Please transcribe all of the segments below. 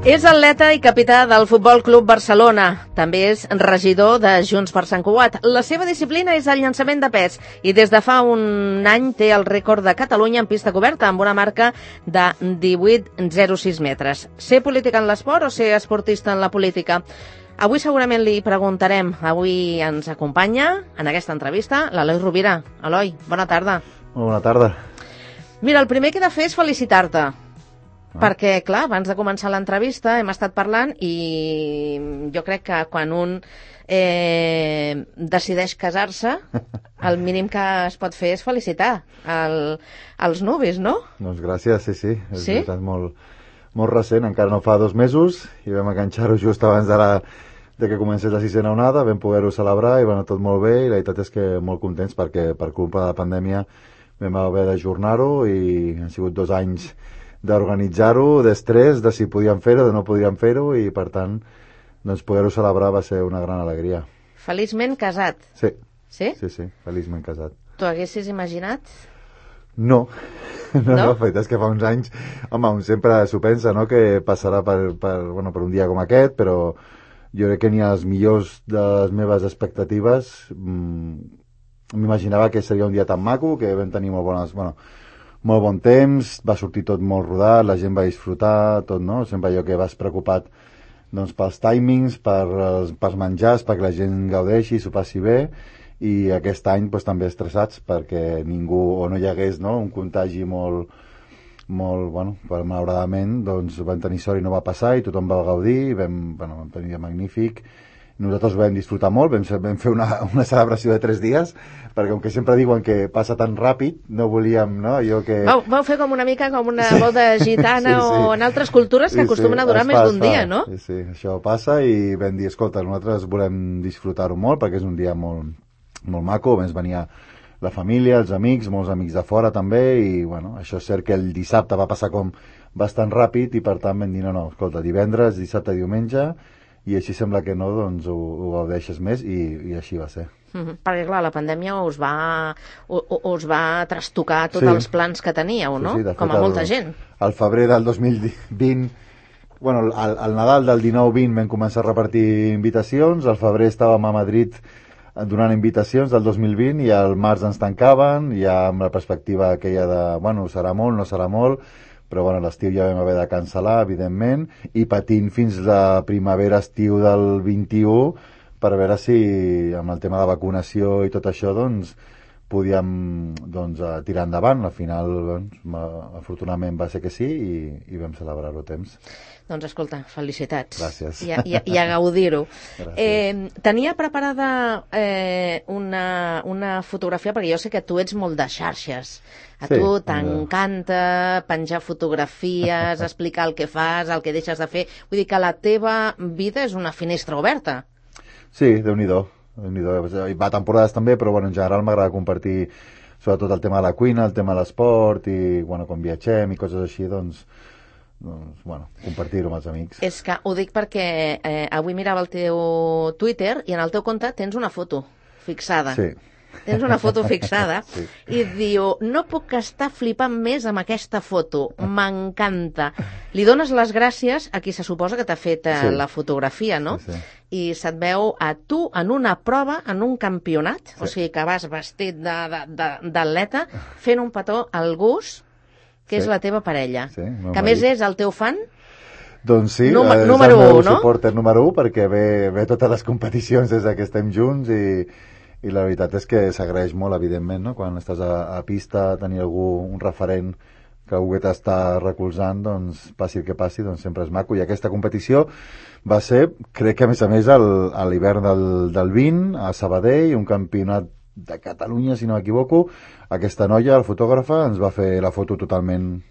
És atleta i capità del Futbol Club Barcelona. També és regidor de Junts per Sant Cugat. La seva disciplina és el llançament de pes i des de fa un any té el rècord de Catalunya en pista coberta amb una marca de 18,06 metres. Ser política en l'esport o ser esportista en la política? Avui segurament li preguntarem. Avui ens acompanya en aquesta entrevista l'Eloi Rovira. Eloi, bona tarda. Molt bona tarda. Mira, el primer que he de fer és felicitar-te. Perquè, clar, abans de començar l'entrevista hem estat parlant i jo crec que quan un decideix casar-se, el mínim que es pot fer és felicitar els nuvis, no? Doncs gràcies, sí. És veritat, molt recent, encara no fa 2 mesos, i vam enganxar-ho just abans de que comencés la 6a onada, vam poder-ho celebrar i va anar tot molt bé, i la veritat és que molt contents perquè per culpa de la pandèmia vam haver d'ajornar-ho i han sigut 2 anys d'organitzar-ho, d'estrès, de si podíem fer-ho, de no podíem fer-ho, i per tant, doncs poder-ho celebrar va ser una gran alegria. Feliçment casat. Sí. Sí? Sí, feliçment casat. T'ho haguessis imaginat? No, la veritat és que fa uns anys, home, un sempre s'ho pensa, no?, que passarà per un dia com aquest, però jo crec que ni a les millors de les meves expectatives m'imaginava que seria un dia tan maco, que vam tenir molt bon temps, va sortir tot molt rodat, la gent va disfrutar, tot, no? Sempre allò que vas preocupat doncs, pels timings, pels menjars, perquè la gent gaudeixi, s'ho passi bé, i aquest any doncs, també estressats perquè ningú, o no hi hagués, no?, un contagi malauradament, doncs vam tenir sort i no va passar, i tothom va gaudir, vam tenir un dia magnífic. Nosaltres ho vam disfrutar molt, vam fer una celebració de 3 dies, perquè com que sempre diuen que passa tan ràpid, no volíem, no?, allò que... Vau fer com una mica com una boda gitana sí. O en altres cultures que acostumen a durar més d'un dia, no? Sí, això passa i vam dir, escolta, nosaltres volem disfrutar-ho molt, perquè és un dia molt maco, vam venir la família, els amics, molts amics de fora també, i això és cert que el dissabte va passar com bastant ràpid, i per tant vam dir, no, escolta, divendres, dissabte, diumenge, i així sembla que no, doncs ho gaudeixes més, i així va ser. Perquè, clar, la pandèmia us va trastocar tots els plans que teníeu, no? Sí, com a molta gent. Al febrer del 2020, al Nadal del 19-20 vam començar a repartir invitacions, al febrer estàvem a Madrid donant invitacions del 2020, i al març ens tancaven, ja amb la perspectiva aquella de, serà molt, no serà molt, però l'estiu ja vam haver de cancel·lar, evidentment, i patint fins la primavera-estiu del 21 per veure si amb el tema de vacunació i tot això podíem tirar endavant. Al final, afortunadament va ser que sí, i vam celebrar-ho a temps. Doncs escolta, felicitats. Gràcies. I a gaudir-ho. Tenia preparada una fotografia, perquè jo sé que tu ets molt de xarxes. A tu t'encanta penjar fotografies, explicar el que fas, el que deixes de fer. Vull dir que la teva vida és una finestra oberta. Sí, Déu-n'hi-do. Va a temporades també, però en general m'agrada compartir sobretot el tema de la cuina, el tema de l'esport, i quan viatgem i coses així, compartir-ho amb els amics. És que ho dic perquè avui mirava el teu Twitter i en el teu compte tens una foto fixada. Sí. Tens una foto fixada sí. I diu, no puc estar flipant més amb aquesta foto, m'encanta. Li dones les gràcies a qui se suposa que t'ha fet la fotografia, no? Sí. I se't veu a tu en una prova, en un campionat, o sigui que vas vestit d'atleta, fent un petó al Gus, que és la teva parella, que a més és el teu fan. Doncs sí, número és el meu 1, no? supporter número 1, perquè ve totes les competicions des que estem junts, i la veritat és que s'agraeix molt, evidentment, no? Quan estàs a pista, tenir un referent que algú que t'està recolzant, doncs passi el que passi, doncs sempre és maco. I aquesta competició va ser, crec que a més a l'hivern del 20, a Sabadell, un campionat de Catalunya, si no m'equivoco. Aquesta noia, la fotògrafa, ens va fer la foto totalment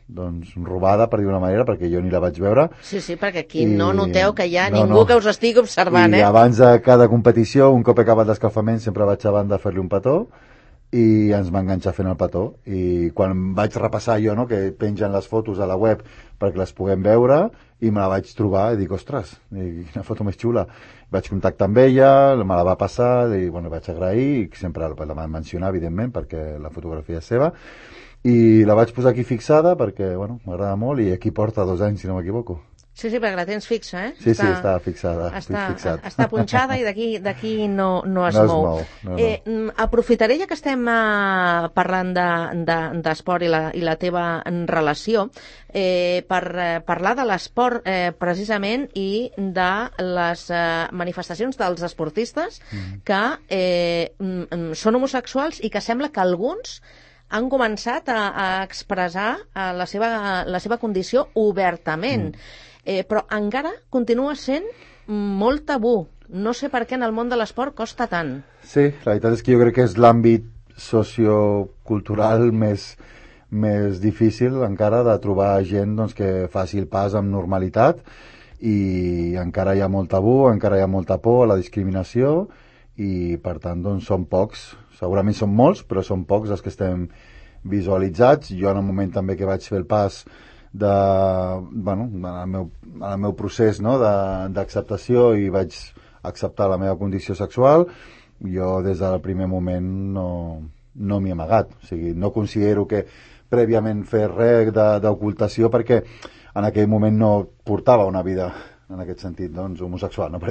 robada, per dir una manera, perquè jo ni la vaig veure. Sí, perquè aquí no noteu que hi ha ningú que us estigui observant, I abans de cada competició, un cop he acabat l'escalfament, sempre vaig a banda a fer-li un petó, i ens va enganxar fent el petó. I quan vaig repassar jo, no?, que pengen les fotos a la web perquè les puguem veure, i me la vaig trobar i dic, ostres, quina foto més xula. Vaig contactar amb ella, me la va passar, i vaig agrair, i sempre la van mencionar, evidentment, perquè la fotografia és seva, i la vaig posar aquí fixada perquè, m'agrada molt, i aquí porta 2 anys, si no m'equivoco. Sí, perquè la tens fixa, Sí, està fixada. Està punxada i d'aquí no es mou. No. Aprofitaré, ja que estem parlant d'esport i la teva relació, per parlar de l'esport precisament i de les manifestacions dels esportistes que són homosexuals i que sembla que alguns han començat a expressar la seva condició obertament. Però encara continua sent molt tabú. No sé per què en el món de l'esport costa tant. Sí, la veritat és que jo crec que és l'àmbit sociocultural més difícil encara de trobar gent doncs, que faci el pas amb normalitat, i encara hi ha molt tabú, encara hi ha molta por a la discriminació, i per tant doncs, són pocs. Segurament són molts, però són pocs els que estem visualitzats. Jo en un moment també que vaig fer el pas en el meu procés, no, d'acceptació, i vaig acceptar la meva condició sexual, jo des del primer moment no m'hi he amagat. O sigui, no considero que prèviament fer res d'ocultació, perquè en aquell moment no portava una vida en aquest sentit, doncs, homosexual, no?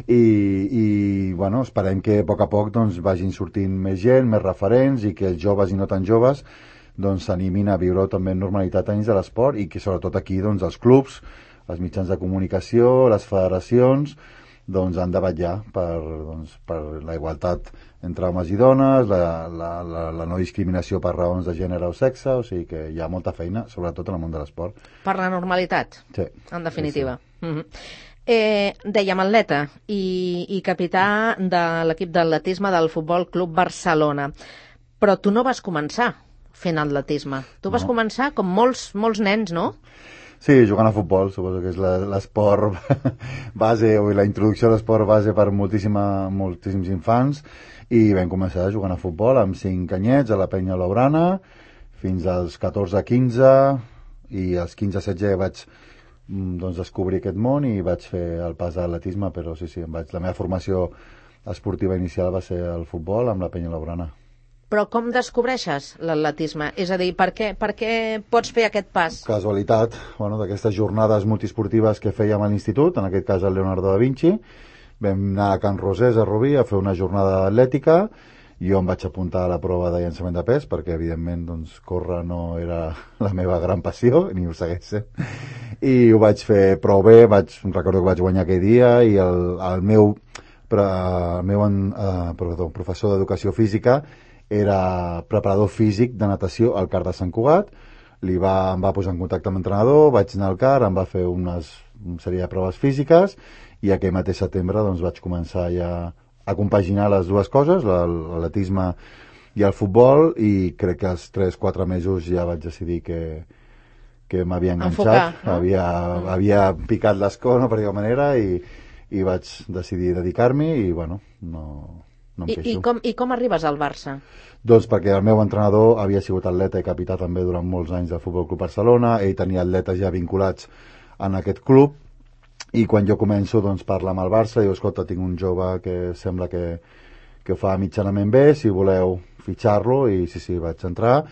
I esperem que a poc doncs, vagin sortint més gent, més referents, i que els joves i no tan joves doncs s'animin a viure també en normalitat dins de l'esport, i que sobretot aquí doncs, els clubs, els mitjans de comunicació, les federacions doncs, han de vetllar per la igualtat entre homes i dones, la no discriminació per raons de gènere o sexe. O sigui que hi ha molta feina, sobretot en el món de l'esport. Per la normalitat, sí, en definitiva. Sí. Dèiem atleta i capità de l'equip d'atletisme del Futbol Club Barcelona. Però tu no vas començar fent atletisme. Tu vas començar com molts nens, no? Sí, jugant a futbol, suposo que és l'esport base, o la introducció a l'esport base per moltíssims infants, i vam començar jugant a futbol amb 5 anyets a la Penya Laurana, fins als 14-15, i als 15-16 vaig descobrir aquest món i vaig fer el pas a l'atletisme, però sí, la meva formació esportiva inicial va ser el futbol amb la Penya Laurana. Però com descobreixes l'atletisme? És a dir, per què pots fer aquest pas? Casualitat, d'aquestes jornades multiesportives que fèiem a l'institut, en aquest cas al Leonardo da Vinci. Vam anar a Can Rosés, a Rubí, a fer una jornada atlètica. Jo em vaig apuntar a la prova de llançament de pes, perquè evidentment córrer no era la meva gran passió, ni ho segueix sent. I ho vaig fer prou bé, recordo que vaig guanyar aquell dia, i el meu professor d'educació física era preparador físic de natació al CAR de Sant Cugat. Em va posar en contacte amb l'entrenador, vaig anar al CAR, em va fer una sèrie de proves físiques, i aquell mateix setembre vaig començar ja a compaginar les dues coses, l'atletisme i el futbol, i crec que als 3-4 mesos ja vaig decidir que m'havia enganxat, no? havia picat l'escó, no, per dir-ho manera, i vaig decidir dedicar-m'hi, i no em queixo. I com arribes al Barça? Doncs perquè el meu entrenador havia sigut atleta i capità també durant molts anys del Futbol Club Barcelona, ell tenia atletes ja vinculats en aquest club, i quan jo començo parlar amb el Barça, diu, escolta, tinc un jove que sembla que ho fa mitjanament bé, si voleu fitxar-lo, i sí, vaig entrar,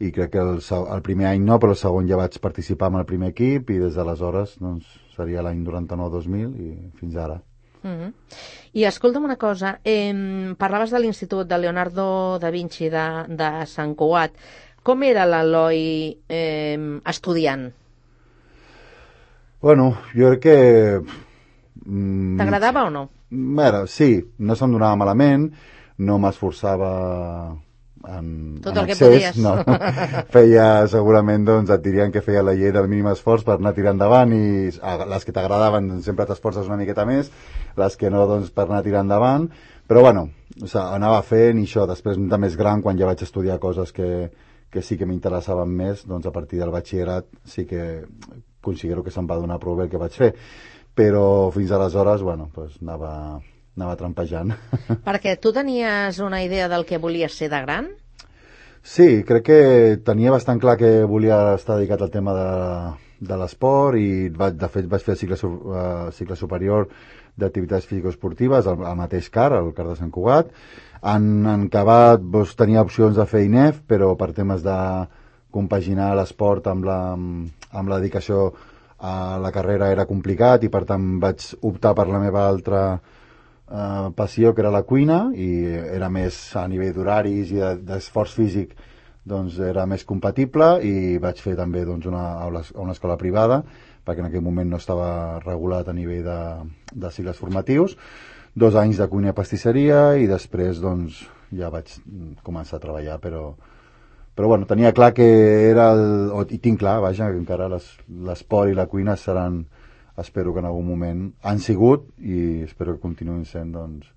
i crec que el primer any no, però el segon ja vaig participar en el primer equip, i des d'aleshores seria l'any 99-2000 i fins ara. I escolta'm una cosa, parlaves de l'Institut de Leonardo da Vinci de Sant Cugat. Com era l'Eloi estudiant? Jo crec que... T'agradava o no? Sí, no se'm donava malament, no m'esforçava tot el que podies. No. Feia, segurament, et dirien que feia la llei del mínim esforç per anar tirant endavant, i les que t'agradaven sempre t'esforces una miqueta més, les que no, per anar tirant endavant, però anava fent, i això, després de més gran, quan ja vaig estudiar coses que sí que m'interessaven més, a partir del batxillerat sí que considero que se'm va donar prou bé el que vaig fer, però fins aleshores, anava trampejant. Perquè tu tenies una idea del que volies ser de gran? Sí, crec que tenia bastant clar que volia estar dedicat al tema de l'esport, i de fet vaig fer el cicle superior d'activitats físico-esportives al mateix CAR, al CAR de Sant Cugat. En acabat tenia opcions de fer INEF, però per temes de compaginar l'esport amb la dedicació la carrera era complicat i per tant vaig optar per la meva altra passió, que era la cuina, i era més a nivell d'horaris i d'esforç físic, doncs era més compatible, i vaig fer també doncs, una escola privada, perquè en aquell moment no estava regulat a nivell de cicles formatius. 2 anys de cuina i pastisseria, i després doncs, ja vaig començar a treballar, però bueno, tenia clar que era i tinc clar, vaja, que encara l'esport i la cuina seran, espero que en algun moment han sigut, i espero que continuïn sent doncs,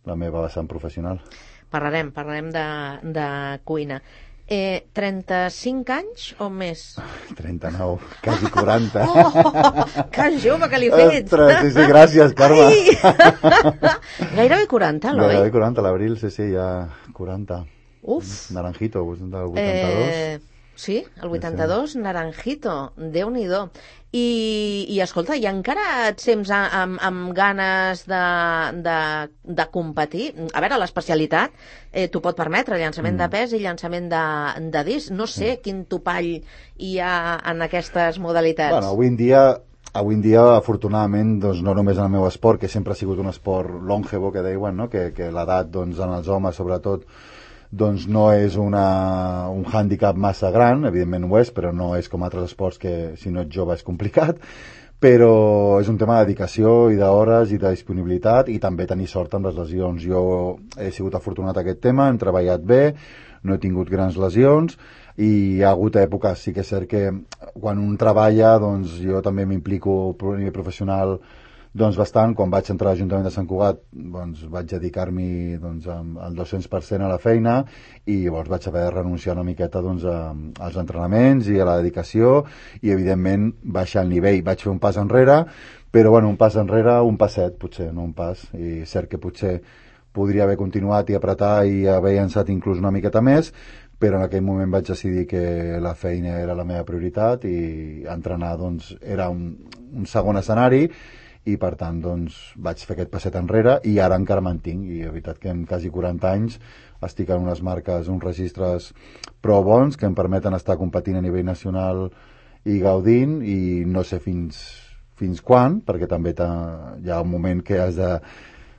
la meva vessant professional. Parlarem de cuina. 35 anys o més? 39, quasi 40. Que jove que li ets! Sí, gràcies, Carme. Gairebé 40, Eloi? Gairebé 40, l'abril, sí, ja 40. Uf! Naranjito, del 82. Sí, el 82, sí. Naranjito, Déu-n'hi-do. I escolta, i encara et sents amb ganes de competir? A veure, l'especialitat t'ho pot permetre, llançament de pes i llançament de disc. No sé quin topall hi ha en aquestes modalitats. Bueno, avui en dia, afortunadament, doncs, no només en el meu esport, que sempre ha sigut un esport longevo, que diuen, no? que l'edat doncs, en els homes, sobretot, doncs no és un hàndicap massa gran, evidentment ho és, però no és com altres esports que si no ets jove és complicat, però és un tema de dedicació i d'hores i de disponibilitat, i també tenir sort amb les lesions. Jo he sigut afortunat a aquest tema, hem treballat bé, no he tingut grans lesions, i hi ha hagut èpoques, sí que és cert que quan un treballa, doncs jo també m'implico a nivell professional doncs bastant. Quan vaig entrar a l'Ajuntament de Sant Cugat, doncs vaig dedicar-m'hi doncs, al 200% a la feina, i llavors vaig haver de renunciar una miqueta doncs, als entrenaments i a la dedicació, i evidentment baixar el nivell. Vaig fer un pas enrere, però bueno, un pas enrere, un passet potser, no un pas, i cert que potser podria haver continuat i apretar i haver llançat inclús una miqueta més, però en aquell moment vaig decidir que la feina era la meva prioritat, i entrenar doncs, era un segon escenari, i per tant doncs, vaig fer aquest passet enrere, i ara encara mantinc, i la veritat que en quasi 40 anys estic en unes marques, uns registres prou bons que em permeten estar competint a nivell nacional i gaudint, i no sé fins quan, perquè també hi ha un moment que has de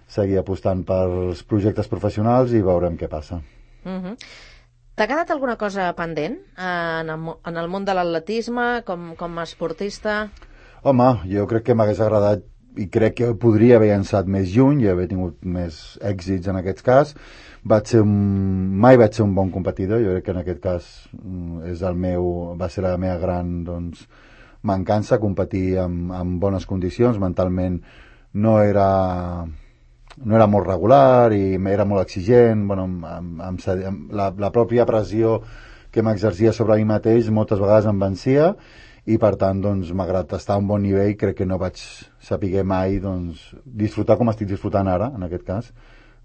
seguir apostant pels projectes professionals, i veurem què passa. T'ha quedat alguna cosa pendent en el món de l'atletisme com a esportista? Home, jo crec que m'hagués agradat, i crec que podria haver llançat més lluny i haver tingut més èxits en aquest cas. Mai vaig ser un bon competidor, jo crec que en aquest cas va ser la meva gran doncs, mancança, competir en bones condicions. Mentalment no era molt regular i era molt exigent. Bueno, la pròpia pressió que m'exercia sobre mi mateix moltes vegades em vencia, i per tant, doncs, malgrat estar a un bon nivell, crec que no vaig saber mai doncs, disfrutar com estic disfrutant ara, en aquest cas,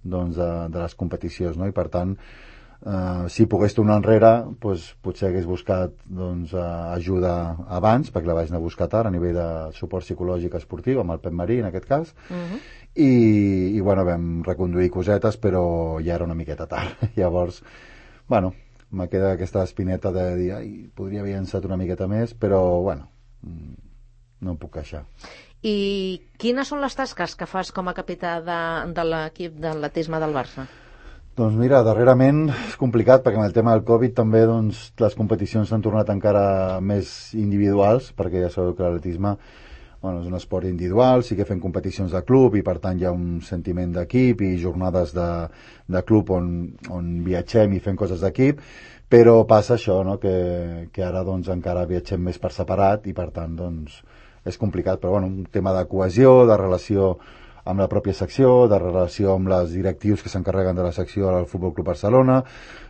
doncs, de les competicions, no? I per tant, si pogués tornar enrere, doncs, potser hagués buscat doncs, ajuda abans, perquè la vaig anar a buscar tard, a nivell de suport psicològic esportiu, amb el Pep Marí, en aquest cas, i bueno, vam reconduir cosetes, però ja era una miqueta tard. Llavors, bueno, me queda aquesta espineta de dir, podria haver llançat una miqueta més, però, bueno, no em puc queixar. I quines són les tasques que fas com a capità de l'equip d'atletisme del Barça? Doncs mira, darrerament és complicat, perquè amb el tema del Covid també doncs, les competicions s'han tornat encara més individuals, perquè ja sabeu que l'atletisme és un esport individual, sí que fem competicions de club, i per tant hi ha un sentiment d'equip i jornades de club on viatgem i fem coses d'equip, però passa això, no? que ara doncs, encara viatgem més per separat, i per tant doncs, és complicat, però un tema de cohesió, de relació amb la pròpia secció, de relació amb les directius que s'encarreguen de la secció del Futbol Club Barcelona,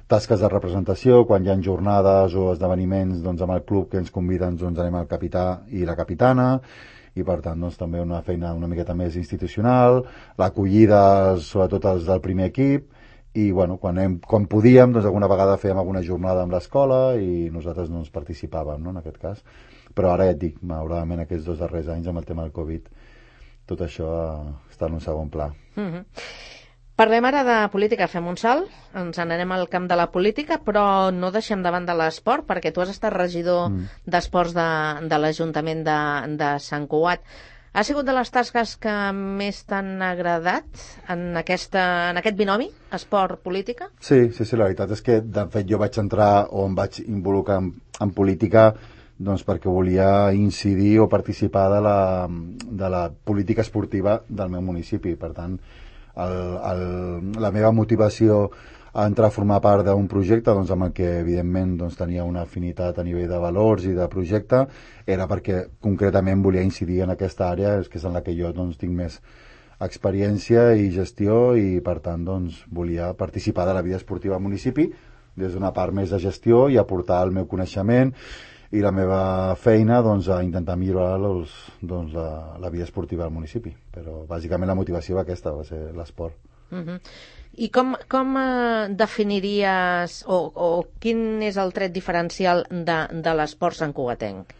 tasques de representació, quan hi ha jornades o esdeveniments doncs, amb el club que ens conviden, doncs anem al capità i la capitana, i per tant doncs, també una feina una miqueta més institucional, l'acollida sobretot els del primer equip, i quan podíem, doncs alguna vegada fèiem alguna jornada amb l'escola i nosaltres no ens participàvem, no, en aquest cas. Però ara ja et dic, malauradament aquests 2 darrers anys amb el tema del Covid, tot això està en un segon pla. Parlem ara de política, fem un salt, ens n'anem al camp de la política, però no deixem de banda l'esport, perquè tu has estat regidor d'esports de l'Ajuntament de Sant Cugat. Ha sigut de les tasques que més t'han agradat en aquest binomi, esport-política? Sí, la veritat és que, de fet, jo vaig entrar o em vaig involucrar en política doncs perquè volia incidir o participar de la política esportiva del meu municipi. Per tant, la meva motivació a entrar a formar part d'un projecte doncs, amb el que evidentment doncs, tenia una afinitat a nivell de valors i de projecte era perquè concretament volia incidir en aquesta àrea, que és en la que jo doncs, tinc més experiència i gestió i per tant doncs, volia participar de la vida esportiva al municipi des d'una part més de gestió i aportar el meu coneixement i la meva feina doncs, a intentar millorar la vida esportiva del municipi. Però bàsicament la motivació aquesta va ser l'esport. I com definiries o quin és el tret diferencial de l'esport santcugatenc?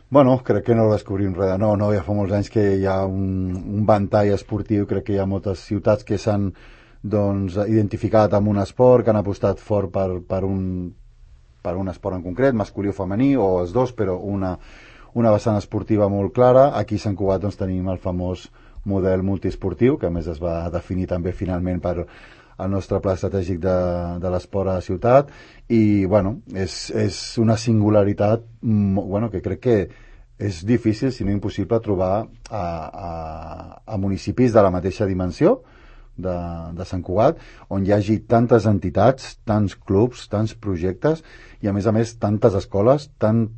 Bueno, crec que no descobrim res de nou, no? Ja fa molts anys que hi ha un ventall esportiu, crec que hi ha moltes ciutats que s'han doncs, identificat amb un esport, que han apostat fort per un esport en concret, masculí o femení, o els dos, però una vessant esportiva molt clara. Aquí a Sant Cugat doncs, tenim el famós model multiesportiu, que a més es va definir també finalment per el nostre pla estratègic de l'esport a la ciutat, i bueno, és una singularitat que crec que és difícil, si no impossible, trobar a municipis de la mateixa dimensió de Sant Cugat, on hi hagi tantes entitats, tants clubs, tants projectes i a més tantes escoles, tants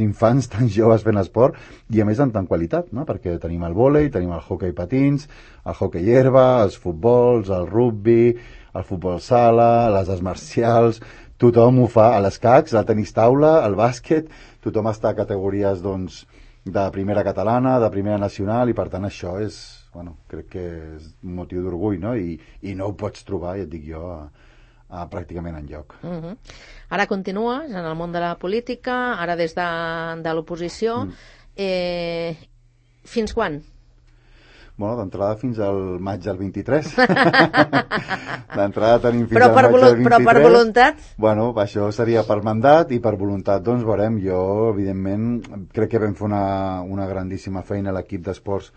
infants, tants joves fent esport i a més amb tant qualitat, no? Perquè tenim el vòlei, tenim el hoquei patins, el hoquei herba, els futbols, el rugbi, el futbol sala, les arts marcials, tothom ho fa, a l'escacs, al tenis taula, al bàsquet, tothom està a categories doncs, de primera catalana, de primera nacional i per tant això és, crec que és un motiu d'orgull, no? I no ho pots trobar, ja et dic jo, pràcticament enlloc. Ara continues en el món de la política, ara des de l'oposició. Fins quan? Bueno, d'entrada fins al maig del 23. D'entrada tenim fins al maig del 23. Però per voluntat? Bueno, això seria per mandat i per voluntat, doncs veurem. Jo, evidentment, crec que vam fer una grandíssima feina a l'equip d'esports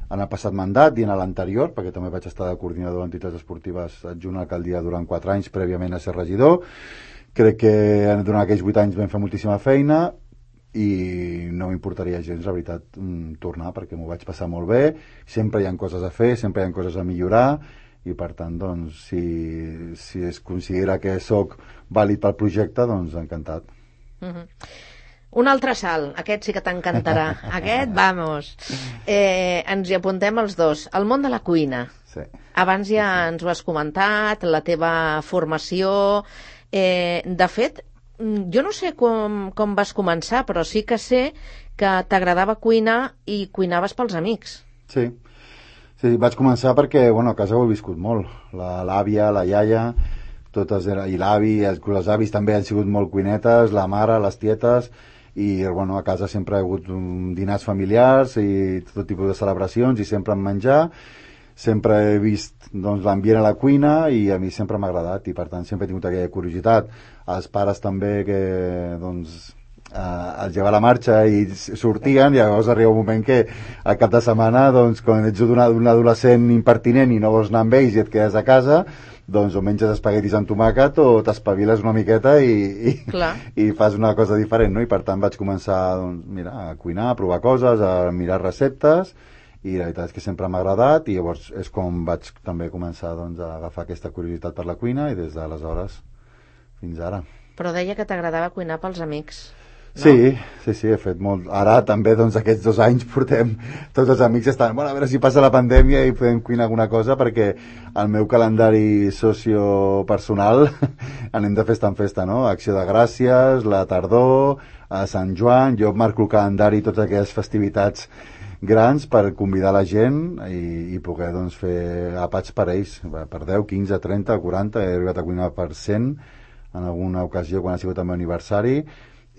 en el passat mandat i en l'anterior, perquè també vaig estar de coordinador d'entitats esportives adjunt a l'alcaldia durant 4 anys prèviament a ser regidor. Crec que durant aquells 8 anys vam fer moltíssima feina i no m'importaria gens, la veritat, tornar, perquè m'ho vaig passar molt bé. Sempre hi ha coses a fer, sempre hi ha coses a millorar i per tant, doncs, si es considera que sóc vàlid pel projecte, doncs encantat. Un altre salt, aquest sí que t'encantarà. Aquest, vamos. Ens hi apuntem els dos. El món de la cuina. Sí. Abans ja ens ho has comentat, la teva formació. De fet, jo no sé com vas començar, però sí que sé que t'agradava cuinar i cuinaves pels amics. Sí, vaig començar perquè, a casa ho he viscut molt. L'àvia, la iaia, i l'avi, els avis també han sigut molt cuinetes, la mare, les tietes, i a casa sempre ha hagut dinars familiars i tot tipus de celebracions i sempre en menjar. Sempre he vist l'ambient a la cuina i a mi sempre m'ha agradat i per tant sempre he tingut aquella curiositat. Els pares també que els lleva la marxa i sortien i llavors arriba un moment que al cap de setmana quan ets un adolescent impertinent i no vols anar amb ells i et quedes a casa, doncs o menges espaguetis amb tomàquet o t'espaviles una miqueta i fas una cosa diferent, no? I per tant vaig començar a cuinar, a provar coses, a mirar receptes i la veritat és que sempre m'ha agradat i llavors és com vaig també començar a agafar aquesta curiositat per la cuina i des d'aleshores fins ara. Però deia que t'agradava cuinar pels amics. No? Sí, he fet molt. Ara també, aquests 2 anys portem, tots els amics estan, a veure si passa la pandèmia i podem cuinar alguna cosa, perquè el meu calendari sociopersonal anem de festa en festa, no? Acció de Gràcies, la tardor, a Sant Joan, jo marco el calendari totes aquelles festivitats grans per convidar la gent i poder fer àpats per ells, per 10, 15, 30, 40, he arribat a cuinar per 100 en alguna ocasió quan ha sigut el meu aniversari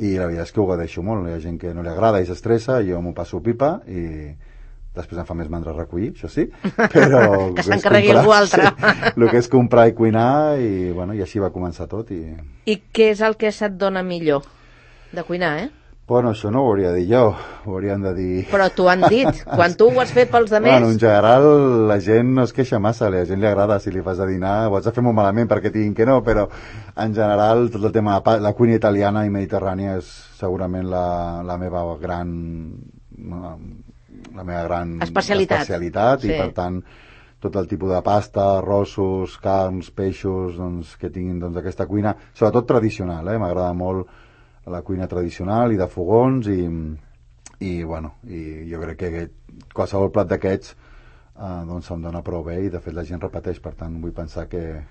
i la veritat és que ho gadeixo molt, hi ha gent que no li agrada i s'estressa, jo m'ho passo pipa i Després em fa més mandra recollir, això sí, però... que s'encarregui algú altre. Sí, el que és comprar i cuinar, i, bueno, i així va començar tot. I què és el que se't dona millor de cuinar, Bueno, això no ho hauria de dir jo, ho haurien de dir... Però t'ho han dit, quan tu ho has fet pels demés... Bueno, en general la gent no es queixa massa, a la gent li agrada, si li fas de dinar ho has de fer molt malament perquè diguin que no, però en general tot el tema de la cuina italiana i mediterrània és segurament la meva gran especialitat sí. I per tant tot el tipus de pasta, arrossos, carns, peixos, doncs, que tinguin doncs, aquesta cuina, sobretot tradicional, m'agrada molt la cuina tradicional i de fogons i bueno, i jo crec que qualsevol plat d'aquests doncs se'm dona prou bé i de fet la gent repeteix, per tant vull pensar que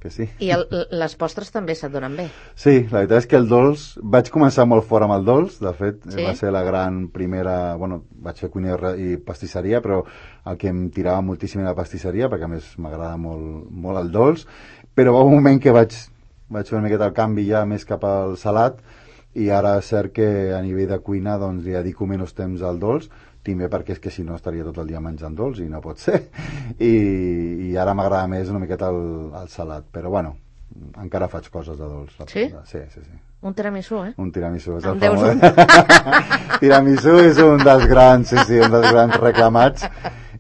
sí. I les postres també se't donen bé? Sí, la veritat és que el dolç, vaig començar molt fort amb el dolç, de fet sí? Va ser la gran primera, bueno, vaig fer cuina i pastisseria, però el que em tirava moltíssim era la pastisseria, perquè a més m'agrada molt el dolç, però va un moment que vaig fer una miqueta el canvi ja més cap al salat, i ara és cert que a nivell de cuina doncs li dedico menys temps al dolç, també perquè és que si no estaria tot el dia menjant dolç i no pot ser, i ara m'agrada més una miqueta el salat, però bueno, encara faig coses de dolç. Sí? Sí. Un tiramisú, Un tiramisú, és el famós. Tiramisú és un dels grans, sí, un dels grans reclamats.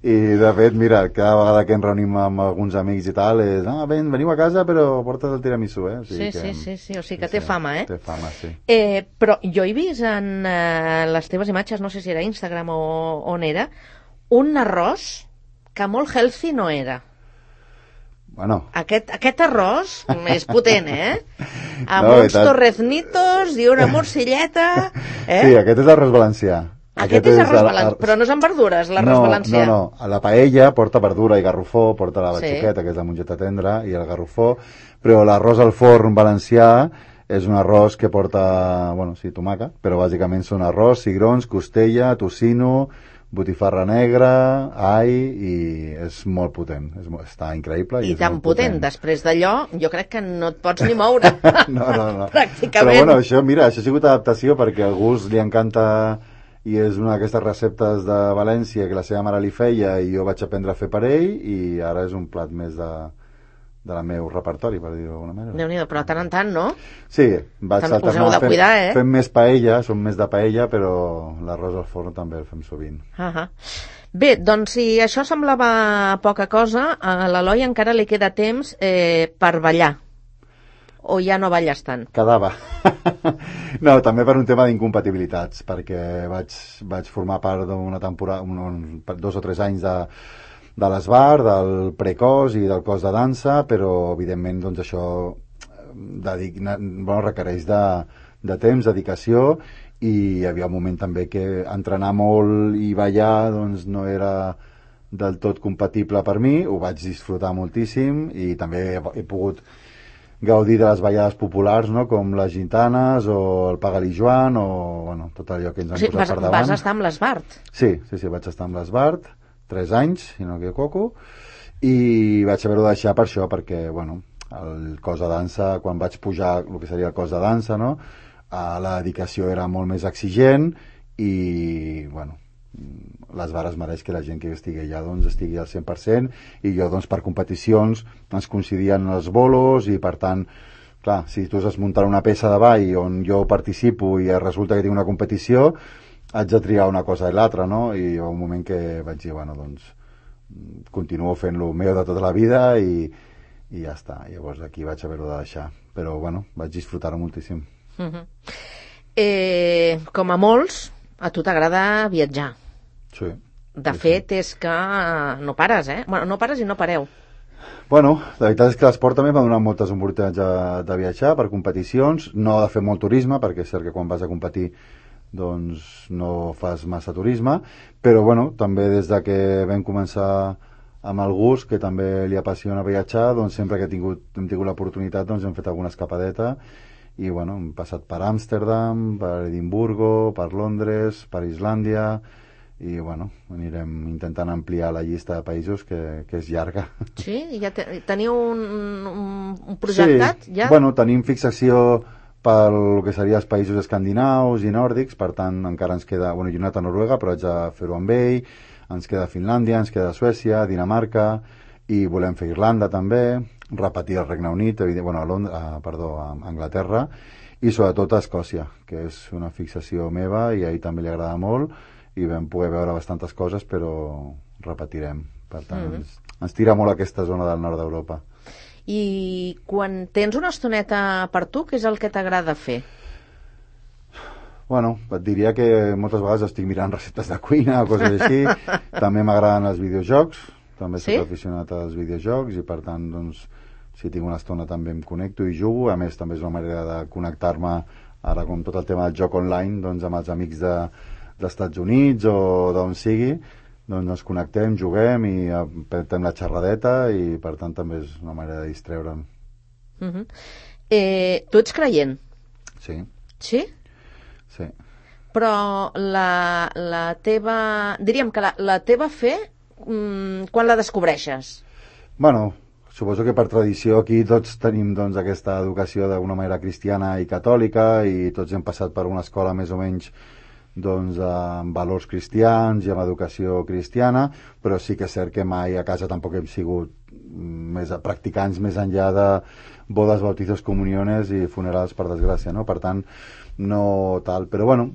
I de fet, mira, cada vegada que ens reunim amb alguns amics i tal és, veniu a casa però portes el tiramisú, O sigui sí, o sigui que té fama, Té fama, sí. Però jo he vist en les teves imatges, no sé si era Instagram o on era, un arròs que molt healthy no era. Bueno. Aquest arròs és potent, Amb uns torreznitos i una morcilleta, Sí, aquest és l'arròs valencià. Aquest és arròs valencià, però no és amb verdures, l'arròs valencià. No, a la paella porta verdura i garrofó, porta la batxoqueta, que és la mongeta tendra, i el garrofó, però l'arròs al forn valencià és un arròs que porta, tomaca, però bàsicament són arròs, cigrons, costella, tocino, botifarra negra, all, i és molt potent, està increïble. I tan potent, després d'allò, jo crec que no et pots ni moure. No. Pràcticament. Però això ha sigut adaptació perquè al gust li encanta i és una d'aquestes receptes de València que la seva mare li feia i jo vaig aprendre a fer per ell i ara és un plat més del meu repertori, per dir-ho d'alguna manera. Déu-n'hi-do, però tant en tant, no? Sí, vaig alternar fem més paella, som més de paella, però l'arròs al forn també el fem sovint. Bé, doncs si això semblava poca cosa, a l'Eloi encara li queda temps per ballar. O ja no balles tant? Quedava. No, també per un tema d'incompatibilitats, perquè vaig formar part d'una temporada, 2 o 3 anys de l'ESBAR, del precos i del cos de dansa, però evidentment doncs això requereix de temps, dedicació, i hi havia un moment també que entrenar molt i ballar doncs no era del tot compatible per mi, ho vaig disfrutar moltíssim i també he pogut gaudir de les ballades populars, no? Com les gintanes o el Paga-li Joan o tot allò que ens han posat per davant. Vas estar amb l'Esbart? Sí, vaig estar amb l'Esbart 3 anys, si no m'equivoco, i vaig haver-ho de deixar per això, perquè el cos de dansa, quan vaig pujar el que seria el cos de dansa, no? La dedicació era molt més exigent i l'Esbart es mereix que la gent que estigui allà doncs estigui al 100% i jo doncs per competicions ens coincidien els bolos i per tant, clar, si tu has muntat una peça de ball on jo participo i resulta que tinc una competició haig de triar una cosa i l'altra, no? I hi va un moment que vaig dir, doncs continuo fent-lo meu de tota la vida i ja està, llavors aquí vaig haver-ho de deixar, però vaig disfrutar-ho moltíssim. Com a molts, a tu t'agrada viatjar. Sí. De fet, és que no pares, no pares i no pareu. La veritat és que l'esport també m'ha donat moltes oportunitats de viatjar per competicions, no de fer molt turisme, perquè és cert que quan vas a competir doncs no fas massa turisme, però també des de que vam començar amb el gust, que també li apassiona viatjar, doncs sempre que hem tingut l'oportunitat doncs hem fet alguna escapadeta i hem passat per Amsterdam, per Edimburgo, per Londres, per Islàndia i anirem intentant ampliar la llista de països que és llarga. Sí? Ja teniu un projectat? Sí, ja? Tenim fixació pel que seria els països escandinaus i nòrdics, per tant encara ens queda, jo he anat a Noruega però haig de fer-ho amb ell, ens queda Finlàndia, ens queda Suècia, Dinamarca, i volem fer Irlanda també, repetir el Regne Unit, a Anglaterra, i sobretot a Escòcia, que és una fixació meva i a ell també li agrada molt, i vam poder veure bastantes coses, però repetirem. Per tant, ens tira molt aquesta zona del nord d'Europa. I quan tens una estoneta per tu, què és el que t'agrada fer? Bueno, et diria que moltes vegades estic mirant receptes de cuina o coses així. També m'agraden els videojocs, també soc aficionat als videojocs, i per tant, doncs, si tinc una estona també em connecto i jugo. A més, també és una manera de connectar-me, ara com tot el tema del joc online, doncs amb els amics dels Estats Units o d'on sigui, doncs ens connectem, juguem i apretem la xerradeta, i per tant també és una manera de distreure'm. Tu ets creient? Sí. Sí? Sí. Però la teva... diríem que la teva fe, quan la descobreixes? Bueno, suposo que per tradició aquí tots tenim doncs aquesta educació d'una manera cristiana i catòlica, i tots hem passat per una escola més o menys doncs amb valors cristians i amb educació cristiana, però sí que és cert que mai a casa tampoc hem sigut practicants més enllà de bodes, bautizos, comuniones i funerals, per desgràcia, no? Per tant, no tal, però bueno,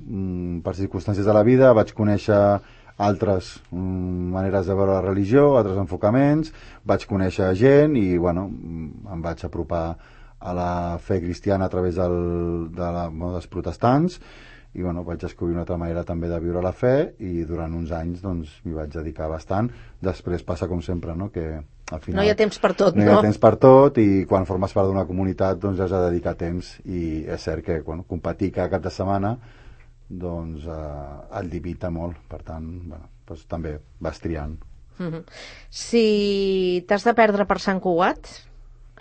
per circumstàncies de la vida vaig conèixer altres maneres de veure la religió, altres enfocaments, vaig conèixer gent i bueno, em vaig apropar a la fe cristiana a través dels protestants, i bueno, vaig descobrir una altra manera també de viure la fe, i durant uns anys doncs m'hi vaig dedicar bastant. Després passa com sempre, no? Que al final no hi ha temps per tot, no hi ha temps per tot, i quan formes part d'una comunitat doncs has de dedicar temps, i és cert que competir cada cap de setmana doncs el limita molt, per tant doncs, també vas triant. Si t'has de perdre per Sant Cugat,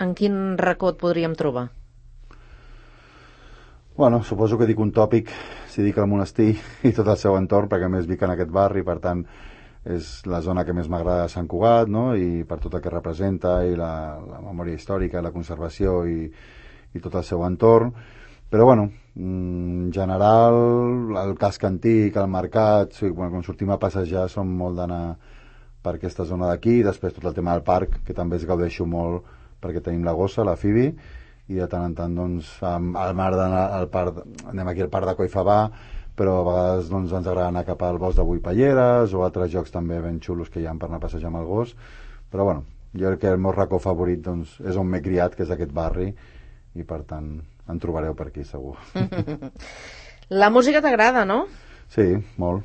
en quin racó et podríem trobar? Bueno, suposo que dic un tòpic si dic el monestir i tot el seu entorn, perquè a més vic en aquest barri, per tant és la zona que més m'agrada de Sant Cugat, no? I per tot el que representa, i la memòria històrica, la conservació i tot el seu entorn. Però bueno, en general, el casc antic, el mercat, quan sortim a passejar som molt d'anar per aquesta zona d'aquí. Després tot el tema del parc, que també es gaudeixo molt perquè tenim la gossa, la Fibi, i de tant en tant doncs, al mar al parc, anem aquí al parc de Collfabà, però a vegades doncs, ens agrada anar cap al bosc de Buipalleres o altres jocs també ben xulos que hi ha per anar a passejar amb el gos. Però bueno, jo crec que el meu racó favorit doncs, és on m'he criat, que és aquest barri, i per tant en trobareu per aquí, segur. La música t'agrada, no? Sí, molt.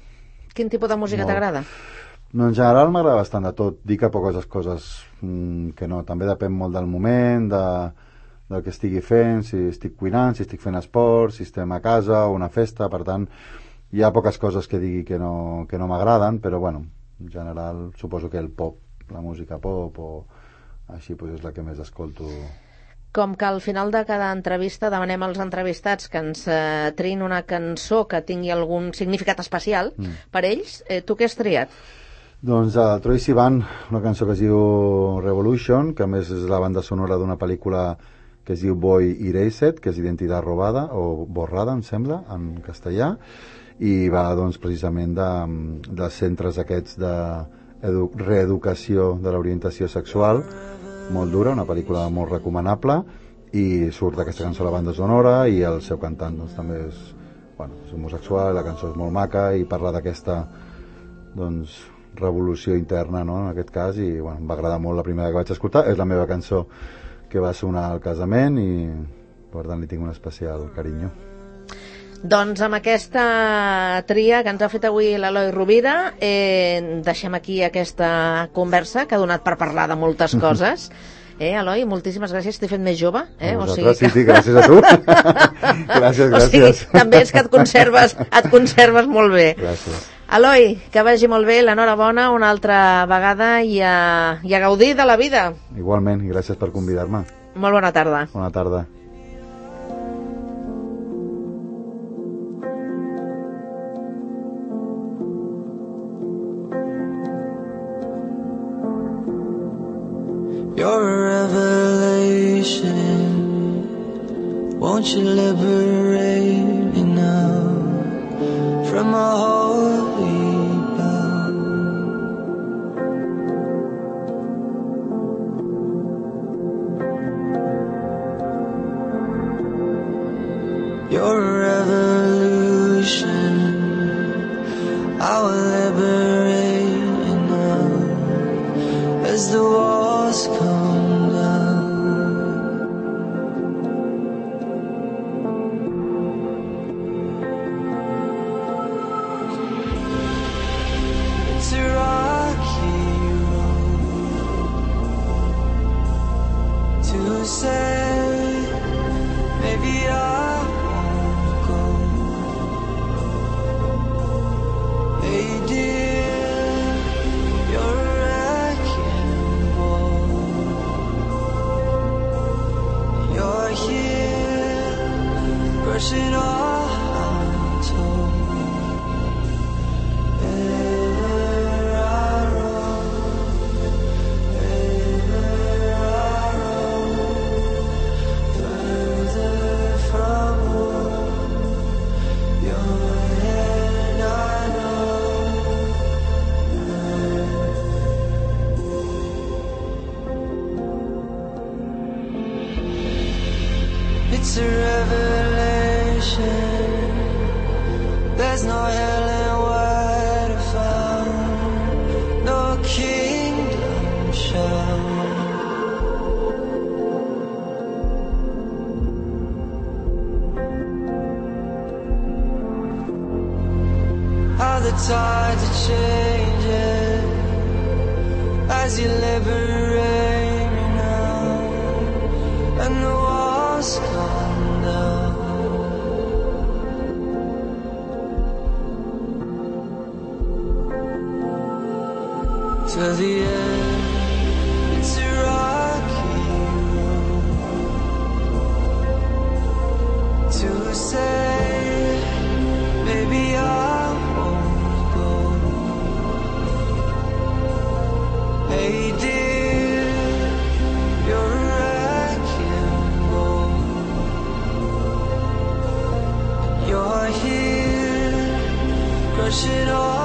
Quin tipus de música t'agrada? No, en general m'agrada bastant de tot. Dic a poques coses que no. També depèn molt del moment, del que estigui fent, si estic cuinant, si estic fent esport, si estem a casa o una festa. Per tant, hi ha poques coses que digui que no m'agraden, però bueno, en general suposo que el pop, la música pop o així, doncs és la que més escolto. Com que al final de cada entrevista demanem als entrevistats que ens triïn una cançó que tingui algun significat especial per ells, tu què has triat? Doncs Troye Sivan, una cançó que es diu Revolution, que a més és la banda sonora d'una pel·lícula que es diu Boy Erased, que és Identitat robada o borrada, em sembla, en castellà, i va doncs precisament dels centres aquests de reeducació de l'orientació sexual, molt dura, una pel·lícula molt recomanable, i surt aquesta cançó a la banda sonora, i el seu cantant doncs, també és homosexual, la cançó és molt maca i parla d'aquesta doncs, revolució interna, no? En aquest cas, i em va agradar molt la primera que vaig escoltar. És la meva cançó que va sonar al casament i per tant li tinc un especial carinyo. Doncs amb aquesta tria que ens ha fet avui l'Eloi Rovira deixem aquí aquesta conversa que ha donat per parlar de moltes coses. Eloi, moltíssimes gràcies, t'he fet més jove. Sí, gràcies a tu. Gràcies. O sigui, també és que et conserves molt bé. Gràcies. Eloi, que vagi molt bé, l'enhorabona una altra vegada i a gaudir de la vida. Igualment, i gràcies per convidar-me. Molt bona tarda. Bona tarda. You're a revelation. Won't you liberate me now from a holy bound? I will liberate you now as the walls come down. It's a rocky road to say maybe I won't go. Hey dear, you're a wrecking ball. You're here, brushing all I'm told. Ever I roam, further from home. Your hand I know. It's a revelation. There's no hell and where to find, no kingdom shine. How the tides are changing as you liberate me now, and the walls come down. To the end, it's a rocky road to say maybe I won't go. Hey dear, you're a wrecking ball. You're here, crushing all